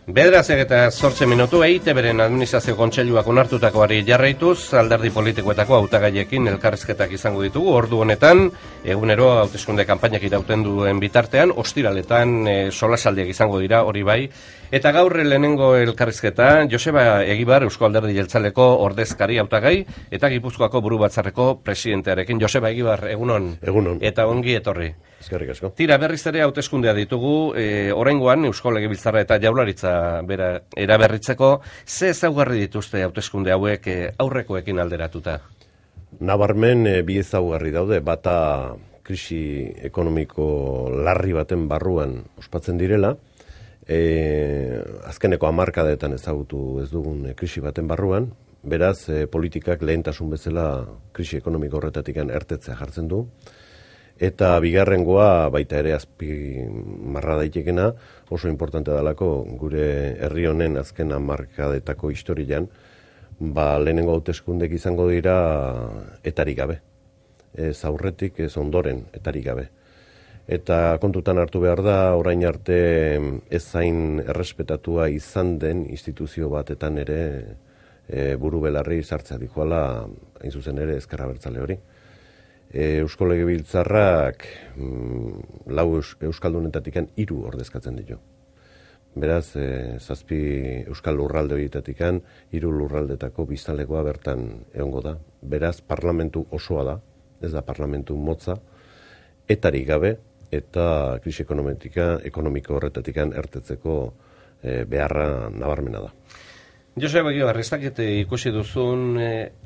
Bederatziak eta 8 minutu EITBren administrazio kontseiluak onartutakoari jarraituz, alderdi politikoetako hautagaiekin elkarrizketak izango ditugu. Ordu honetan, egunero hauteskunde kanpainak irauten duen bitartean, ostiraletan solasaldiak izango dira, hori bai. Eta gaur lehenengo elkarrizketa, Joseba Egibar, Eusko Alderdi Jeltzaleko ordezkari hautagai, eta Gipuzkoako buru batzarreko presidentearekin. Joseba Egibar, egunon. Egunon. Eta ongi etorri. Eskerrik asko. Tira, berriz ere hauteskundea ditugu, oraingoan Eusko Legebiltzarra eta Jaurlaritza bera eraberritzeko, ze ezaugarri dituzte hauteskunde hauek aurrekoekin alderatuta? Nabarmen bi ezaugarri daude, bata krisi ekonomiko larri baten barruan ospatzen direla, azkeneko hamarkadetan ezagutu ez dugun krisi baten barruan, beraz politikak lehentasun bezala krisi ekonomiko horretatik ertetzea jartzen du, eta bigarrengoa baita ere azpimarra daitekena oso importante dalako gure herri honen azken hamarkadetako historian, lehenengo hauteskundek izango dira etarik gabe. Ez aurretik, ez ondoren etarik gabe. Eta kontutan hartu behar da, orain arte ez zain errespetatua izan den instituzio batetan ere buru belarri sartzea dikoala, hain zuzen ere Ezker Abertzale hori. Eusko Legebiltzarrak lau euskaldunetatik 3 ordezkatzen ditu. Beraz, 7 euskal lurralde horietatik 3 lurraldetako biztanlekoa bertan egongo da. Beraz, parlamentu osoa da, ez da parlamentu motza, etarik gabe eta krisi ekonomiko horretatik ertetzeko beharra nabarmena da. Joseba Egibar, ez dakit ikusi duzun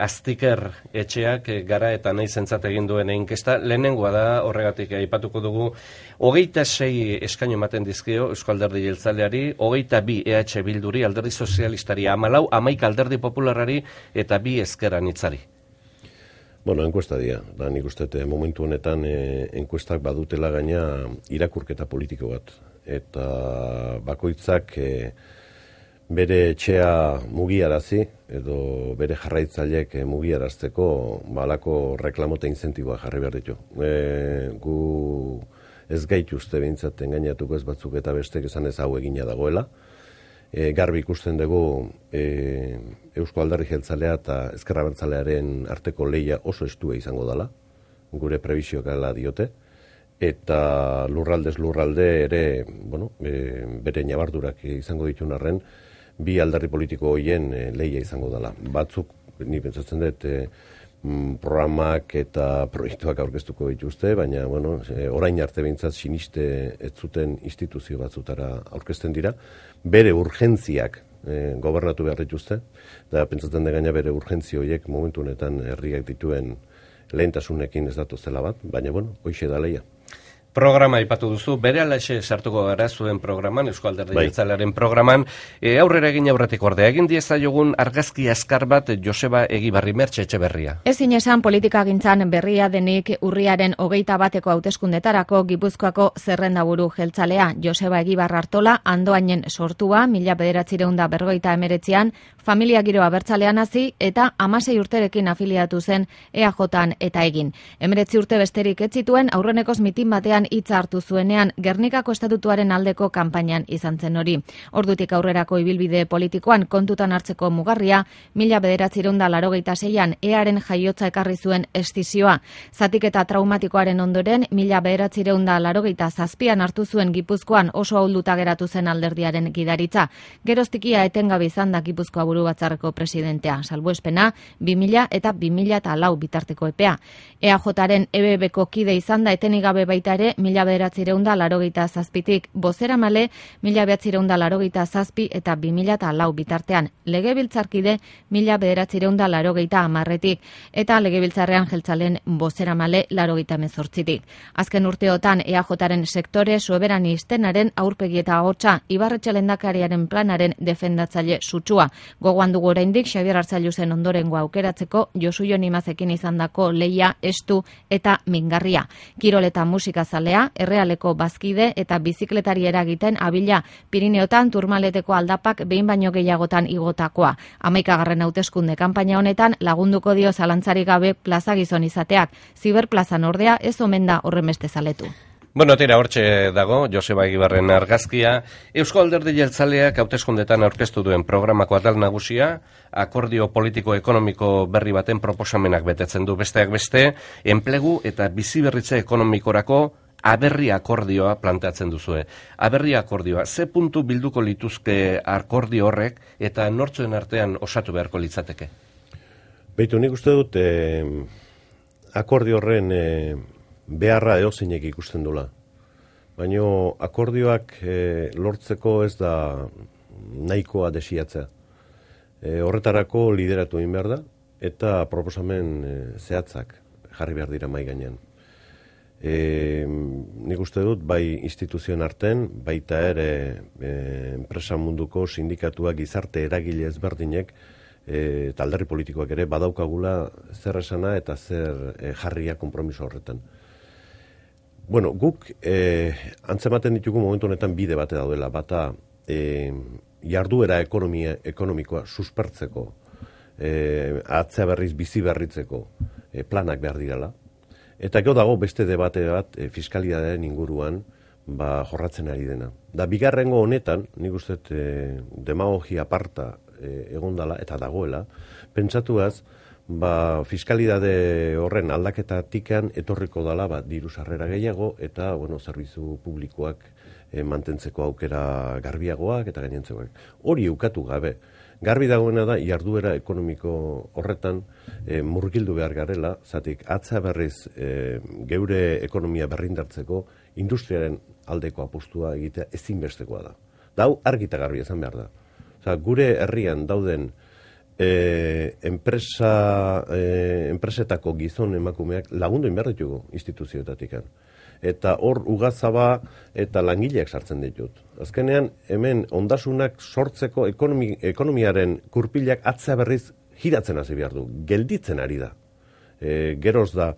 Aztiker etxeak gara eta nahi zentzat egin duen inkesta, lehenengoa da, horregatik aipatuko dugu, 26 eskaino ematen dizkio Eusko Alderdi Jeltzaleari, 22 EH Bilduri, Alderdi Sozialistari, 14, 11 Alderdi Popularrari eta 2 Ezker Anitzari. Bueno, enkuesta dira, da nik uste momentu honetan enkuestak badutela gaina irakurketa politiko bat, eta bakoitzak bere etxea mugiarazi edo bere jarraitzaileek mugiarazteko balako reklamote incentiboa jarri behar ditu. Gu ez gaituzte behintzat engainatuko ez batzuk eta bestek esan ez hau egina dagoela. Garbi ikusten dugu Eusko Alderdi Jeltzalea eta Ezker Abertzalearen arteko lehia oso estua izango dela, gure prebisioak ala diote, eta lurraldez lurralde ere, bere nabardurak izango ditun arren, 2 alderdi politiko horien lehia izango dela. Batzuk, ni pentsatzen dut, programak eta proiektuak aurkeztuko dituzte, baina orain arte behintzat siniste ez zuten instituzio batzutara aurkezten dira, bere urgentziak gobernatu behar dituzte, eta pentsatzen dut gaina bere urgentzi horiek momentu honetan herriak dituen lehentasunekin ez datozela bat, baina hoixe da lehia. Programa aipatu duzu, bere alaxe sartuko gara zuen programan, Eusko Alderdi Jeltzalearen programan, aurrera egin aurretik ordea, egin diezaiogun argazki azkar bat Joseba Egibarri Mertxe Etxeberria. Ezin esan politikagintzan berria denik urriaren 21 hauteskundetarako Gipuzkoako zerrendaburu jeltzalea. Joseba Egibar Artola, Andoainen sortua, 1959an, familia giro abertzalean hasi eta 16 urterekin afiliatu zen EAJan eta egin. 19 urte besterik ez zituen aurrenekoz mitin batean hitza hartu zuenean Gernikako estatutuaren aldeko kanpainan izan zen hori. Ordutik aurrerako ibilbide politikoan kontutan hartzeko mugarria 1986an EAren jaiotza ekarri zuen estizioa. Zatiketa traumatikoaren ondoren 1987an hartu zuen Gipuzkoan oso ahulduta geratu zen alderdiaren gidaritza. Geroztikia etengabe izan da Gipuzkoa buru batzarreko presidentea, salbuespena 2000 eta 2004 bitarteko epea. EAJaren EBBko kide izan da etenik gabe baita ere 1987tik, bozeramale 1987 eta 2004 bitartean, legebiltzarkide 1980tik eta legebiltzarrean jeltzaleen bozeramale 88tik. Azken urteotan EAJaren sektore soberanistenaren aurpegi eta ahotsa Ibarretxe lehendakariaren planaren defendatzaile sutsua. Gogoan dugu oraindik Xabier Arzailuzen ondorengo aukeratzeko Josu Jon Imazekin izandako lehia estu eta mingarria. Kirol eta musika zalea, Errealeko bazkide eta bizikletari eragiten abila Pirineotan Turmaleteko aldapak behin baino gehiagotan igotakoa. 11. hauteskunde kanpaina honetan lagunduko dio zalantzarik gabe plaza gizon izateak. Ziberplazan ordea ez omen da horrenbeste zaletu. Bueno, tira hortxe dago, Joseba Egibarren argazkia. Eusko Alderdi Jeltzaleak hauteskundetan aurkeztu duen programako atal nagusia, akordio politiko-ekonomiko berri baten proposamenak betetzen du, besteak beste, enplegu eta biziberritze ekonomikorako aberri akordioa planteatzen duzue. Aberri akordioa, ze puntu bilduko lituzke akordio horrek eta nortzuen artean osatu beharko litzateke? Beitu, nik uste dut akordio horren beharra eozeinek ikusten dula. Baina akordioak lortzeko ez da nahikoa desiatzea. Horretarako lideratu egin behar da, eta proposamen zehatzak jarri behar dira mahai gainean. Nik uste dut, bai instituzioen arten, baita ere enpresa munduko sindikatuak gizarte eragile ezberdinek, eta alderdi politikoak ere badaukagula zer esana eta zer jarria konpromiso horretan. Bueno, guk antzematen ditugu momentu honetan bide bate daudela, bata jarduera ekonomikoa suspertzeko, atzea berriz bizi berritzeko planak behar direla, eta gero dago beste debate bat fiskalitatearen inguruan jorratzen ari dena. Da bigarrengo honetan, nik uste demagogia aparta egondala eta dagoela, pentsatuaz, fiskalitate horren aldaketatikan etorriko dala diru sarrera gehiago eta zerbitzu publikoak mantentzeko aukera garbiagoak eta gainentzekoak. Hori ukatu gabe. Garbi dagoena da jarduera ekonomiko horretan murgildu behar garela, zatik atza berriz geure ekonomia berrindartzeko industriaren aldeko apostua egitea ezinbestekoa da. Dau argita garbi esan behar da. Gure herrian dauden enpresetako gizon emakumeak lagundu behar ditugu instituzioetatik. Eta hor ugazaba eta langileak sartzen ditut. Azkenean, hemen ondasunak sortzeko ekonomiaren kurpilak atza berriz giratzen hasi behar du. Gelditzen ari da. Geroz da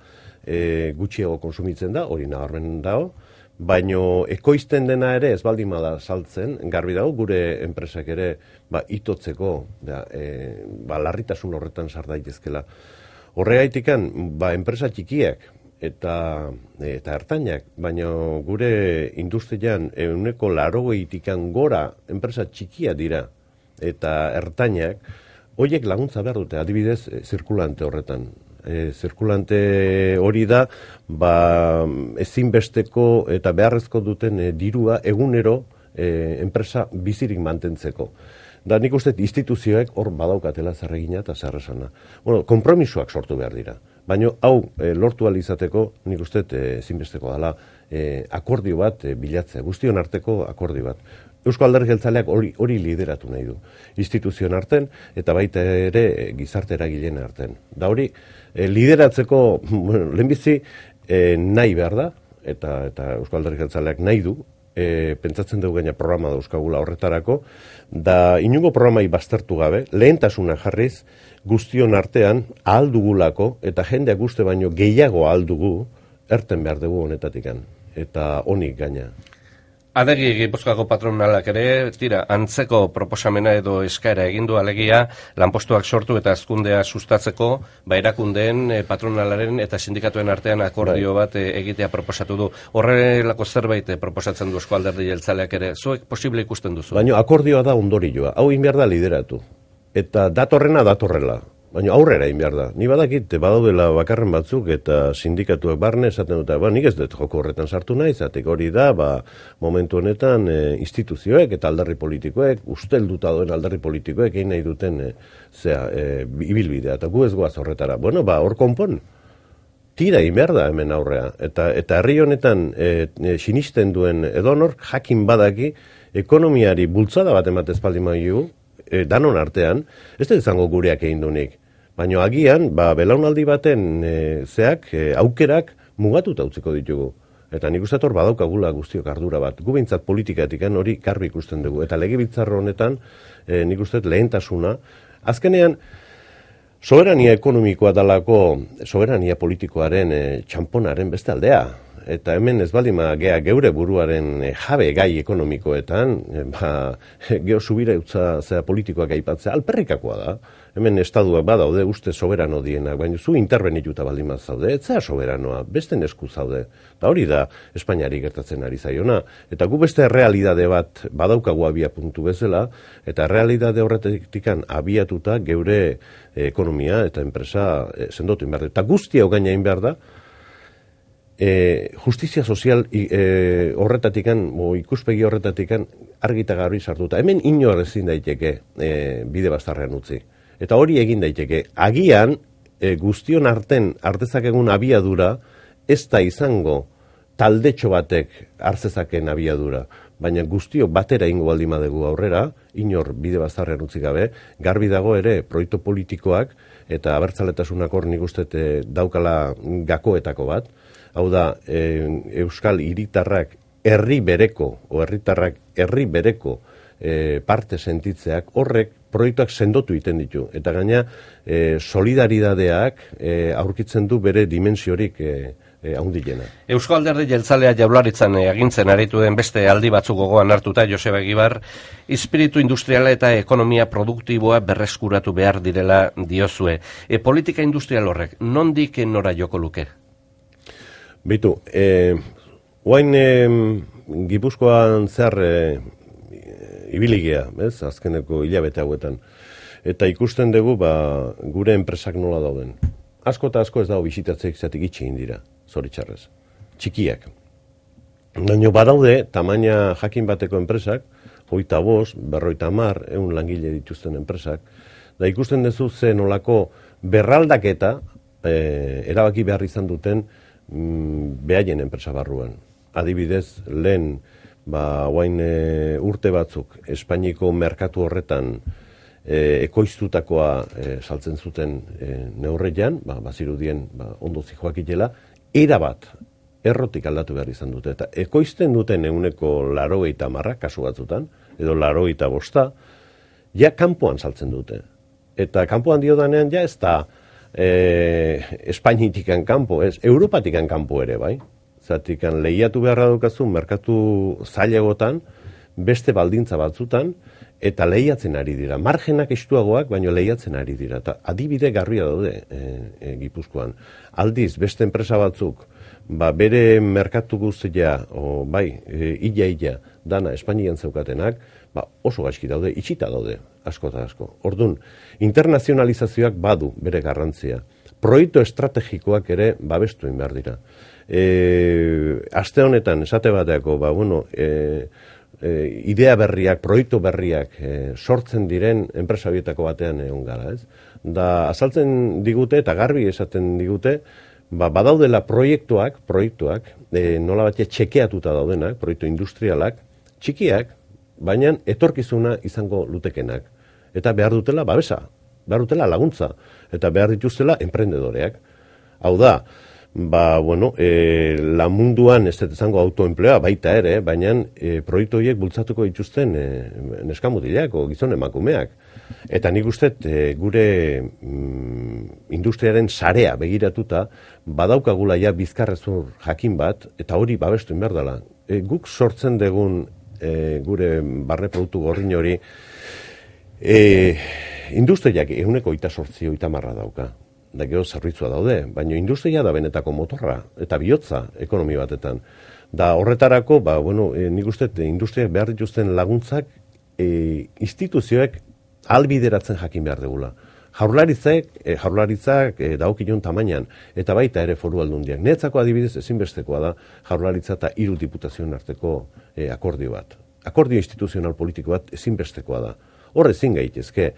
gutxiago konsumitzen da, hori nabarmen dago, baino ekoizten dena ere ez baldin bada saltzen, garbi dago gure enpresak ere itotzeko, larritasun horretan sar daitezkela. Horregaitikan, enpresa txikiak eta ertainak, baino gure industrian 80% gora enpresa txikia dira eta ertainak, horiek laguntza behar dute, adibidez, zirkulante horretan. Zirkulante hori da, ezinbesteko eta beharrezko duten dirua egunero enpresa bizirik mantentzeko. Da nik uste instituzioek hor badaukatela zer egina eta zer esana. Konpromisoak sortu behar dira. Baina hau lortu ahal izateko nik uste ezinbesteko dela akordio bat bilatzea, guztion arteko akordio bat. Eusko Alderdi Jeltzaleak hori lideratu nahi du. Instituzioen arten eta baita ere gizarte eragileen arten. Da hori lideratzeko lehenbizi nahi behar da, eta Eusko Alderdi Jeltzaleak nahi du, pentsatzen dugu gaina programa dauzkagula horretarako, da inungo programai baztertu gabe, lehentasuna jarriz, guztion artean ahal dugulako, eta jendeak uste baino gehiago ahal dugu, erten behar dugu honetatikan, eta honik gaina. Adegi Gipuzkoako patronalak ere, antzeko proposamena edo eskaera egindu alegia, lanpostuak sortu eta hazkundea sustatzeko, erakundeen, patronalaren eta sindikatuen artean akordio bat egitea proposatu du. Horrelako zerbait proposatzen du Eusko Alderdi Jeltzaleak ere, zuek posible ikusten duzu? Baina akordioa da ondorioa, hau egin behar da lideratu. Eta datorrela. Baina aurrera egin behar da. Ni badakit, badaudela bakarren batzuk eta sindikatuak barne esaten dute, nik ez dut joko horretan sartu nahi, zatek hori da, momentu honetan instituzioek eta alderri politikoek, ustelduta duen alderri politikoek egin nahi duten ibilbidea, eta gu ez goaz horretara. Hor konpon, tira egin behar da hemen aurrea. Eta herri honetan sinisten duen edonor, jakin badaki, ekonomiari bultzada bat ematez baldin maigu, danon artean, ez da izango gureak egin dunik. Baina agian, belaunaldi baten aukerak mugatuta utziko ditugu. Eta nik uste hor badaukagula guztiok ardura bat. Gu behintzat politikatik hori garbi ikusten dugu. Eta legebiltzar honetan nik uste lehentasuna. Azkenean, soberania ekonomikoa dalako, soberania politikoaren txamponaren beste aldea. eta hemen ez baldima gea geure buruaren jabe gai ekonomikoetan, geho subira utza zea politikoak aipatzea, alperrikakoa da. Hemen estaduak badaude uste soberano dienak, baina zu interbenituta baldima zaude, ez zea soberanoa, beste esku zaude. Eta hori da Espainiari gertatzen ari zaiona. Eta gu beste realidade bat badaukagu abia puntu bezala, eta realidade horretikan abiatuta geure ekonomia eta enpresa sendotu inberde. Eta guztia gaina inbehar da, justizia sozial horretatikan, ikuspegi horretatikan argita garbi sartuta. Hemen inor ezin daiteke bide bastarrean utzi. Eta hori egin daiteke. Agian guztion artezakegun abiadura ez da izango taldetxo batek hartzezaken abiadura. Baina guztio batera ingo baldin badegu aurrera, inor bide bastarrean utzi gabe, garbi dago ere proiektu politikoak eta abertzaletasunak hor nik uste daukala gakoetako bat. Hau da, Euskal hiritarrak herri bereko parte sentitzeak horrek proiektuak sendotu egiten ditu. Eta gaina solidaridadeak aurkitzen du bere dimensiorik haundilena. Eusko Alderdi Jeltzalea Jaurlaritzan agintzen aritu den beste aldi batzuk gogoan hartuta Joseba Egibar, espiritu industriala eta ekonomia produktiboa berreskuratu behar direla diozue. Politika industrial horrek, nondik nora joko luke? Bitu, oain Gipuzkoan zer ibiligea, azkeneko hilabete hauetan. Eta ikusten dugu gure enpresak nola dauden. Asko eta asko ez dago bisitatzeik zatik itxegin dira, zoritxarrez. Txikiak. Baina badaude, tamaina jakin bateko enpresak, 25, 50, 100 langile dituzten enpresak, da ikusten duzu ze nolako berraldaketa erabaki behar izan duten behaien enpresa barruan. Adibidez, lehen oain urte batzuk Espainiko merkatu horretan ekoiztutakoa saltzen zuten neurrean, bazirudien ondo zijoakitela, erabat errotik aldatu behar izan dute. Eta ekoizten duten 80%, kasu batzutan, edo 85%, ja kanpoan saltzen dute. Eta kanpoan diodanean ja ez da Espainitikan kanpo, ez, Europatikan kanpo ere, bai? Zatikan lehiatu beharra dukazu merkatu zailagotan, beste baldintza batzutan, eta lehiatzen ari dira. Margenak estuagoak, baino lehiatzen ari dira. Eta adibide garbia daude Gipuzkoan. Aldiz, beste enpresa batzuk, bere merkatu guztia, illa, dana Espainian zeukatenak, oso gaizki daude, itxita daude, asko eta asko. Orduan, internazionalizazioak badu bere garrantzia. Proiektu estrategikoak ere babestu egin behar dira. Aste honetan, esate bateako, idea berriak, proiektu berriak sortzen diren enpresa horietako batean egon gara, ez? Da, azaltzen digute eta garbi esaten digute, badaudela proiektuak, nola batia txekeatuta daudenak, proiektu industrialak, txikiak, baina etorkizuna izango lutekenak. Eta behar dutela babesa, behar dutela laguntza, eta behar dituztela enprendedoreak. Hau da, la munduan ez izango autoenpleoa baita ere, baina proiektu horiek bultzatuko dituzten neskamutilak o gizon emakumeak. Eta nik uste gure industriaren sarea begiratuta badaukagula ja bizkarrezur jakin bat, eta hori babestu behar dela. Guk sortzen dugun gure barne produktu gorrin hori industriak 128% dauka. Da gero zerbitzua daude, baina industria da benetako motorra eta bihotza ekonomi batetan. Da horretarako, nik uste industriak behar dituzten laguntzak instituzioek albideratzen jakin behar degula. Jaurlaritzak dagokion tamainan, eta baita ere foru aldundiak. Netzako adibidez ezinbestekoa da jaurlaritza eta 3 diputazioen arteko akordio bat. Akordio instituzional politiko bat ezinbestekoa da. Hor ezin gaitezke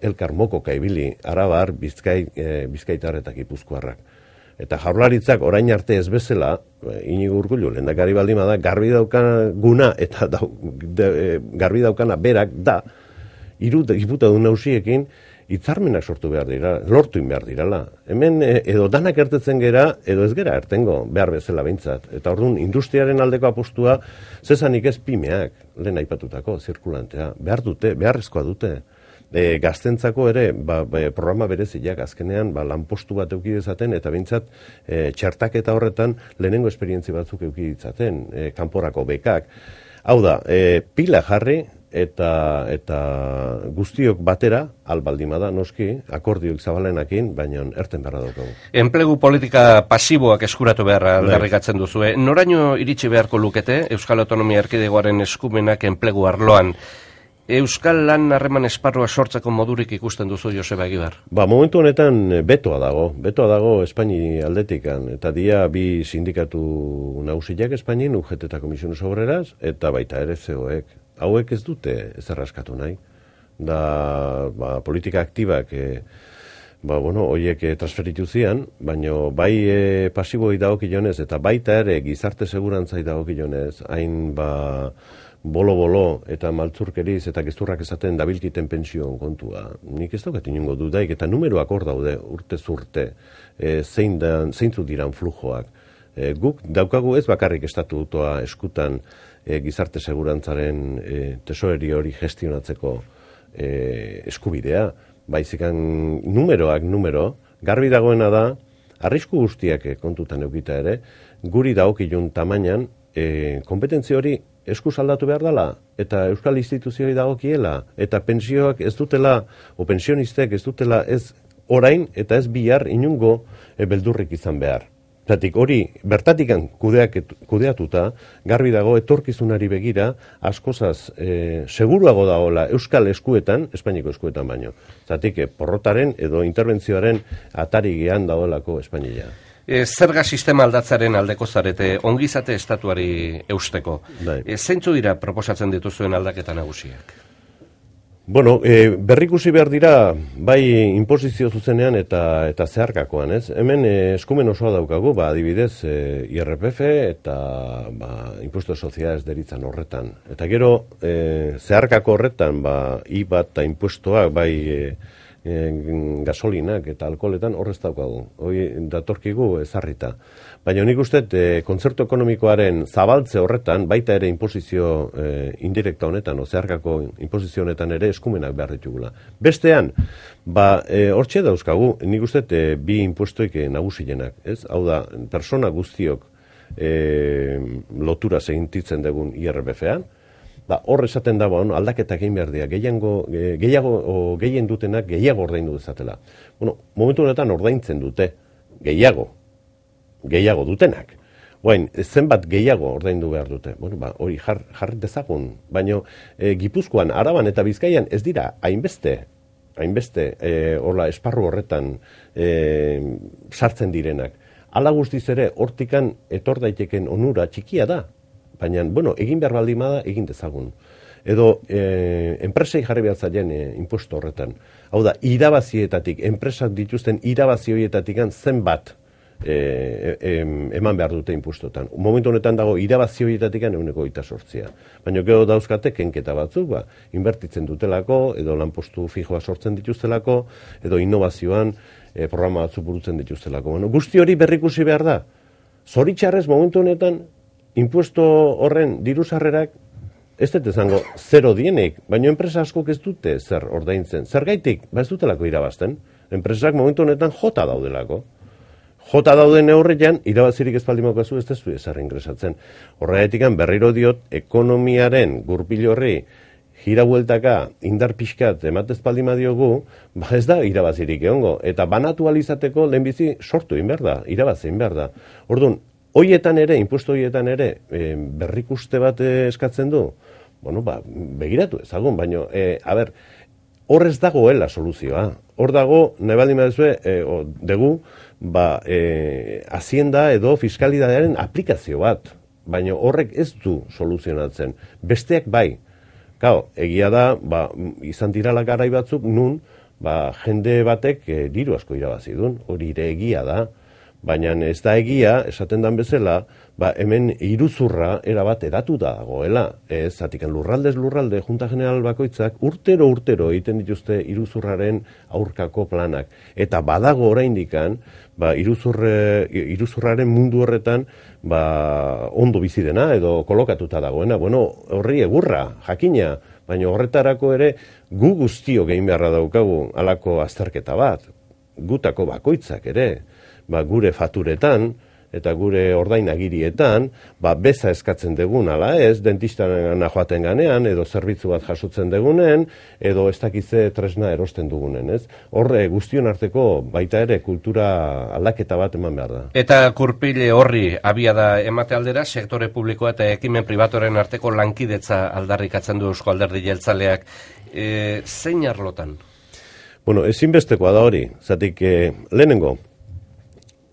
elkar mokoka ibili Arabar, Bizkaitar eta Gipuzkoarrak. Eta jaurlaritzak orain arte ez bezala, Inigo Urkullu lehendakari baldin bada, garbi daukana eta garbi daukana berak da, 3 diputadun nausiekin hitzarmenak sortu behar dira, lortu behar dirala. Hemen edo danak ertetzen gera, edo ez gera ertengo, behar bezala behintzat. Eta orduan, industriaren aldeko apostua, zezanik ez pimeak, lehen aipatutako, zirkulantea, beharrezkoa dute. gaztentzako ere programa bereziak azkenean lanpostu bat eduki dezaten eta behintzat txertaketa horretan lehenengo esperientzi batzuk eduki ditzaten, kanporako bekak. Hau da, pila jarri eta guztiok batera, albaldimada noski, akordioik zabalenakin, baina erten beharra daukagu. Enplegu politika pasiboak eskuratu beharra aldarrikatzen duzue. Noraino iritsi beharko lukete Euskal Autonomia Erkidegoaren eskumenak enplegu arloan? Euskal lan harreman esparrua sortzeko modurik ikusten duzu, Joseba Egibar? Momentu honetan betoa dago Espaini aldetikan, eta dia bi sindikatu nagusiak Espainin, UGT eta Komisiones Obreras, eta baita ere COek. Hauek ez dute ezerraskatu nahi. Politika aktibak horiek transferitu zian, baina bai pasiboi dagokionez eta baita ere gizarte segurantzai dagokionez, hain bolo-bolo eta maltzurkeriz eta gezurrak esaten dabilkiten pensioen kontua. Nik ez daukat inongo dudaik eta numeroak hor daude urte-zurte, zeintzuk diran flujoak. Guk daukagu ez bakarrik estatutoa eskutan gizarte segurantzaren tesoreria hori gestionatzeko eskubidea, baizikan numero, garbi dagoena da, arrisku guztiak kontutan eukita ere, guri dagokilun tamainan, kompetentzia hori eskuz aldatu behar dela, eta euskal instituzioi dagokiela, eta pensioak ez dutela, o pensionistek ez dutela ez orain eta ez bihar inungo beldurrik izan behar. Zatik hori bertatikan kudeatuta, garbi dago etorkizunari begira, askozaz seguruago dagoela euskal eskuetan, Espainiko eskuetan baino. Zatik porrotaren edo interbentzioaren atari gehan dagoelako Espainia. Zerga sistema aldatzaren aldeko zarete, ongizate estatuari eusteko. Zeintzu dira proposatzen dituzuen aldaketa nagusiak? Berrikusi behar dira, bai inposizio zuzenean eta zeharkakoan, ez? Hemen eskumen osoa daukagu, adibidez, IRPF eta impuesto de sociedades deritzan horretan. Eta gero, zeharkako horretan, IVA eta impuestoak, bai gasolinak eta alkoholetan horrez daukagu. Hoi datorkigu ezarrita. Baina nik uste, kontzertu ekonomikoaren zabaltze horretan, baita ere imposizio indirekta honetan, zeharkako imposizio honetan ere eskumenak behar ditugula. Bestean, hortxe dauzkagu, nik uste, bi impuestoik nagusienak. Hau da, persona guztiok lotura segintitzen dugun IRPF-ean, hor esaten da, aldaketak egin behar dira, gehien dutenak gehiago ordaindu dezatela. Momentu honetan ordaintzen dute, gehiago dutenak. Zenbat gehiago ordaindu behar dute. Hori jarri dezagun, baina Gipuzkoan, Araban eta Bizkaian ez dira hainbeste esparru horretan sartzen direnak. Hala guztiz ere, hortikan etor daiteken onura txikia da. Baina, egin behar baldin bada, egin dezagun. Edo, enpresei jarri behar zaien impuesto horretan. Hau da, irabazietatik, enpresak dituzten irabazi horietatik zenbat eman behar dute impuestotan. Momentu honetan dago, irabazi horietatik 128. Baina gero dauzkate, kenketa batzuk, inbertitzen dutelako, edo lanpostu fijoa sortzen dituztelako, edo innovazioan programa batzuk burutzen dituztelako. Guzti hori berrikusi behar da. Zoritxarrez, momentu honetan, impuesto horren diruzarrerak ez dut izango zero dienik, baina enpresa askok ez dute zer ordaintzen. Zergaitik, ez dutelako irabazten. Enpresak momentu honetan jota daudelako. Jota dauden neurrian, irabazirik ez baldin daukazu ez dezu ezer ingresatzen. Horregatik berriro diot, ekonomiaren gurpil horri gira bueltaka indar pixkat ematez baldin badiogu, ez da irabazirik egongo. Eta banatu alizateko lehenbizi sortu egin behar da, irabazi egin behar da. Orduan, hoietan ere, impuesto hoietan ere, berrikuste bat eskatzen du, begiratu ezagun, baina, hor ez dagoela soluzioa. Hor dago, nahi baldin badezue, dugu, hazienda edo fiskalidadearen aplikazio bat, baina horrek ez du soluzionatzen. Besteak bai. Egia da, izan dirala garai batzuk, nun, jende batek diru asko irabazi duen, hori ere egia da. Baina ez da egia, esaten dan bezala, hemen iruzurra erabat edatu da dagoela. Zatikan lurraldez lurralde, Junta General bakoitzak, urtero egiten dituzte iruzurraren aurkako planak. Eta badago oraindikan, iruzurraren mundu horretan, ondo bizi dena edo kolokatuta dagoena. Horri egurra, jakina, baina horretarako ere gu guztio egin beharra daukagu halako azterketa bat, gutako bakoitzak ere, gure faturetan, eta gure ordainagirietan, beza eskatzen dugun, ala ez, dentistana joaten ganean, edo zerbitzu bat jasotzen dugunen, edo ez dakize tresna erosten dugunen, ez? Horre guztion arteko baita ere kultura aldaketa bat eman behar da. Eta kurpile horri abia da emate aldera, sektore publikoa eta ekimen pribatoren arteko lankidetza aldarrikatzen du Eusko Alderdi Jeltzaleak. Zein arlotan? Bueno, ezinbestekoa da hori, zatik lehenengo,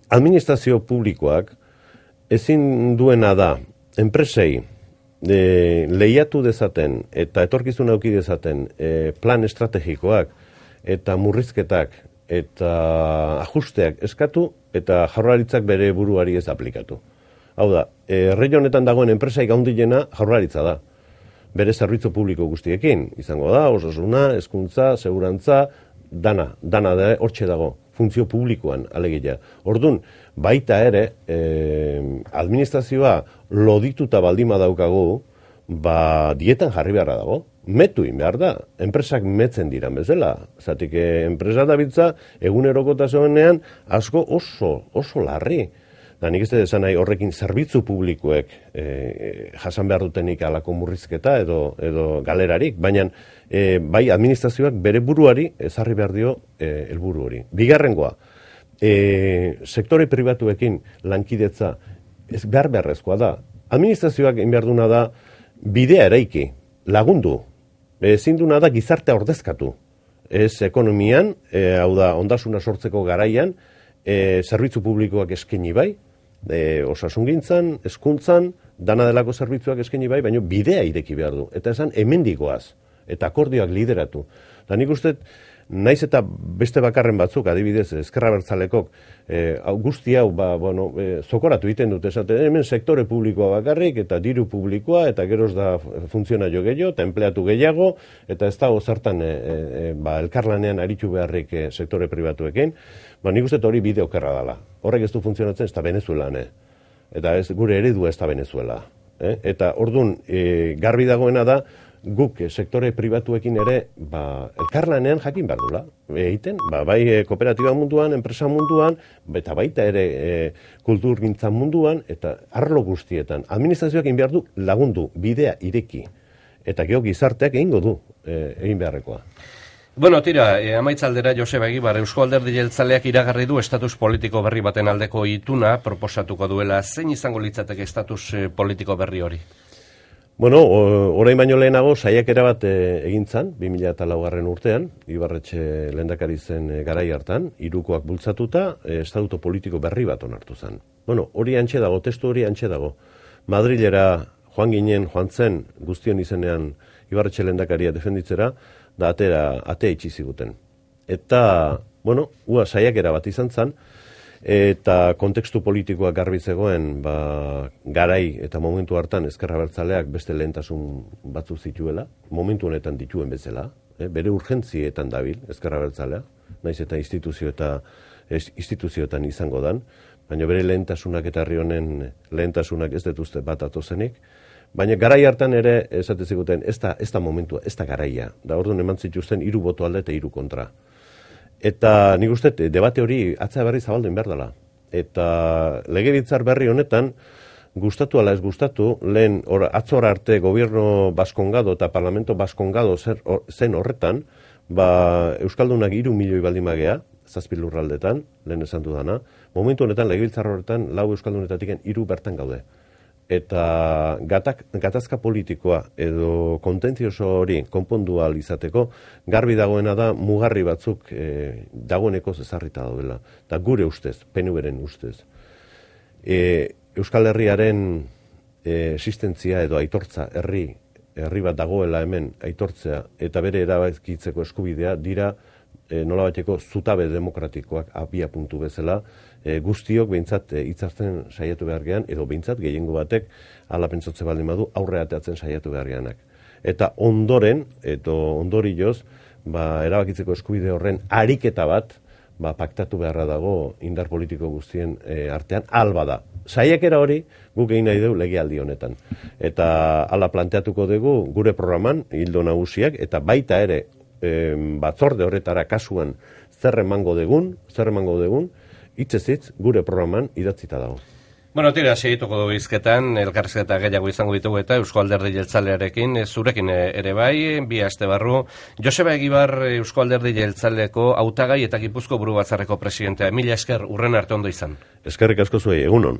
administrazio publikoak ezin duena da enpresei lehiatu dezaten eta etorkizuna eduki dezaten plan estrategikoak eta murrizketak eta ajusteak eskatu eta Jaurlaritzak bere buruari ez aplikatu. Hau da, herri honetan dagoen enpresaik handiena Jaurlaritza da. Bere zerbitzu publiko guztiekin izango da, osasuna, hezkuntza, segurantza, dana da hortxe dago. Funtzio publikoan alegia. Ordun, baita ere, administrazioa lodituta baldima daukagu, dietan jarri beharra dago. Metuin behar da. Enpresak metzen diran bezala. Zatik, enpresa da bitza, egunerokotasunean asko oso larri. Da, nik ez da esan nahi horrekin zerbitzu publikoek jasan behar dutenik alako murrizketa edo galerarik, baina bai administrazioak bere buruari ezarri behar dio helburu hori. Bigarrengoa, sektore pribatuekin lankidetza behar beharrezkoa da. Administrazioak egin behar duna da bidea eraiki, lagundu, ezin duna da gizartea ordezkatu. Ez ekonomian, hau da, ondasuna sortzeko garaian, zerbitzu publikoak eskaini bai, osasungintzan, hezkuntzan, dana delako zerbitzuak eskaini bai, baina bidea ireki behar du. Eta esan hemendigoaz, eta akordioak lideratu. Da nik uste, naiz eta beste bakarren batzuk, adibidez, Ezker Abertzalekok, guzti hau, zokoratu egiten dute, esaten, hemen sektore publikoa bakarrik, eta diru publikoa, eta geroz da funtzionario gehiago, eta empleatu gehiago, eta ez dago zertan elkarlanean aritu beharrik sektore pribatuekin, nik uste hori bide okerra dela. Horrek ez du funtzionatzen, ez da Venezuelan, eta gure eredua ez da Venezuela. Eta orduan, garbi dagoena da, guk sektore pribatuekin ere elkarlanean jakin behar dula. Egiten, bai kooperatiba munduan, enpresa munduan, eta baita ere kulturgintza munduan, eta arlo guztietan. Administrazioak egin behar du lagundu, bidea ireki. Eta gero gizarteak egingo du egin beharrekoa. Bueno, tira, amaitzaldera Joseba Egibar, Eusko Alderdi Jeltzaleak iragarri du estatus politiko berri baten aldeko ituna proposatuko duela. Zein izango litzateke estatus politiko berri hori? Bueno, orain baino lehenago saiakera bat egin zan, 2004 urtean, Ibarretxe lehendakari zen garai hartan, hirukoak bultzatuta, estatuto politiko berri bat onartu zen. Bueno, hori antxe dago, testu hori antxe dago. Madrilera joan zen guztion izenean Ibarretxe lehendakaria defenditzera, da atea itxi ziguten. Eta, bueno, saiakera bat izan zen, eta kontekstu politikoak garbi zegoen garai eta momentu hartan Ezker Abertzaleak beste lehentasun batzu zituela, momentu honetan dituen bezala, bere urgentzietan dabil Ezker Abertzalea, naiz eta instituzioetan izango dan, baina bere lehentasunak eta herri honen lehentasunak ez dituzte bat atozenik, baina garai hartan ere esate ziguten ez da momentua, ez da garaia, da orduan eman zituzten 3 boto alde eta 3 kontra. Eta nik uste, debate hori atzea berri zabaldu behar dela. Eta legebiltzar berri honetan, gustatu ala ez gustatu, lehen atzora arte gobierno baskongado eta parlamento baskongado zen horretan, Euskaldunak 3 milioi baldin magea, 7 lurraldetan, lehen esan dudana, momentu honetan legebiltzar horretan 4 Euskaldunetatik 3 bertan gaude. Eta gatazka politikoa edo kontentzioso hori konpondu ahal izateko, garbi dagoena da mugarri batzuk dagoeneko ezarrita daudela. Eta gure ustez, PNV-ren ustez. Euskal Herriaren existentzia edo aitortza herri bat dagoela hemen aitortzea eta bere erabakitzeko eskubidea dira nolabaiteko zutabe demokratikoak abia puntu bezala, guztiok behintzat hitzartzen saiatu behar gean, edo behintzat gehiengo batek ala pentsatze baldin badu aurre ateatzen saiatu behar geanak. Eta ondoren, edo ondorioz, erabakitzeko eskubide horren ariketa bat, paktatu beharra dago indar politiko guztien artean, alba da. Saiakera hori guk egin nahi dugu legealdi honetan. Eta hala planteatuko dugu gure programan, hildo nagusiak, eta baita ere batzorde horretara kasuan zer emango dugun, hitzez hitz gure programan idatzita dago. Bueno, tira, segituko dugu izketan, elkarrizketa gehiago izango ditugu eta Eusko Alderdi Jeltzalearekin, zurekin ere bai, bi aste barru. Joseba Egibar, Eusko Alderdi Jeltzaleko hautagai eta Gipuzko Buru Batzarreko presidentea. Mila esker, urren arte ondo izan. Eskerrik asko zuei, egunon.